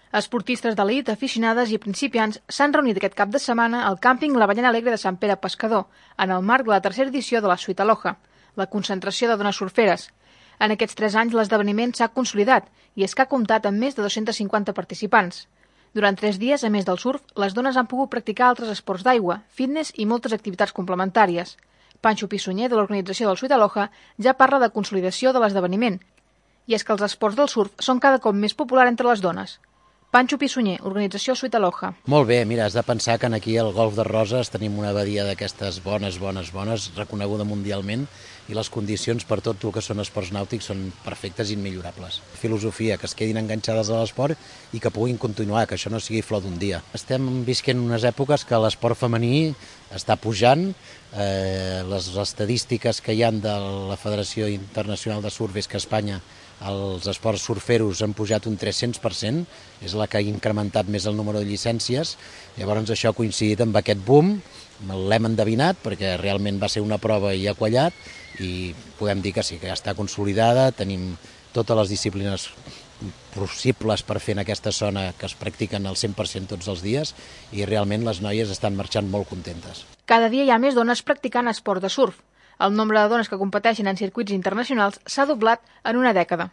Esportistes d'elit, aficionades i principiants s'han reunit aquest cap de setmana al càmping La Ballena Alegre de Sant Pere Pescador, en el marc de la tercera edició de la Suite Aloha, la concentració de dones surferes. En aquests 3 anys l'esdeveniment s'ha consolidat i és que ha comptat amb més de 250 participants. Durant 3 dies, a més del surf, les dones han pogut practicar altres esports d'aigua, fitness i moltes activitats complementàries. Pancho Pissunyer, de l'organització del Suite Aloha, ja parla de consolidació de l'esdeveniment. I és que els esports del surf són cada cop més populars entre les dones. Pancho Pissunyer, organització Suite Aloha. Molt bé, mira, has de pensar que aquí al Golf de Roses tenim una badia d'aquestes bones, reconeguda mundialment, i les condicions per tot el que són esports nàutics són perfectes i immillorables. Filosofia, que es quedin enganxades a l'esport i que puguin continuar, que això no sigui flor d'un dia. Estem visquent unes èpoques que l'esport femení està pujant, les estadístiques que hi ha de la Federació Internacional de Surf és que a Espanya els esports surferos han pujat un 300%, és la que ha incrementat més el número de llicències. Llavors això ha coincidit amb aquest boom, l'hem endevinat perquè realment va ser una prova i ha quallat, i podem dir que sí, que ja està consolidada, tenim totes les disciplines possibles per fer en aquesta zona que es practiquen al 100% tots els dies i realment les noies estan marxant molt contentes. Cada dia hi ha més dones practicant esport de surf. El nombre de dones que competeixen en circuits internacionals s'ha doblat en una dècada.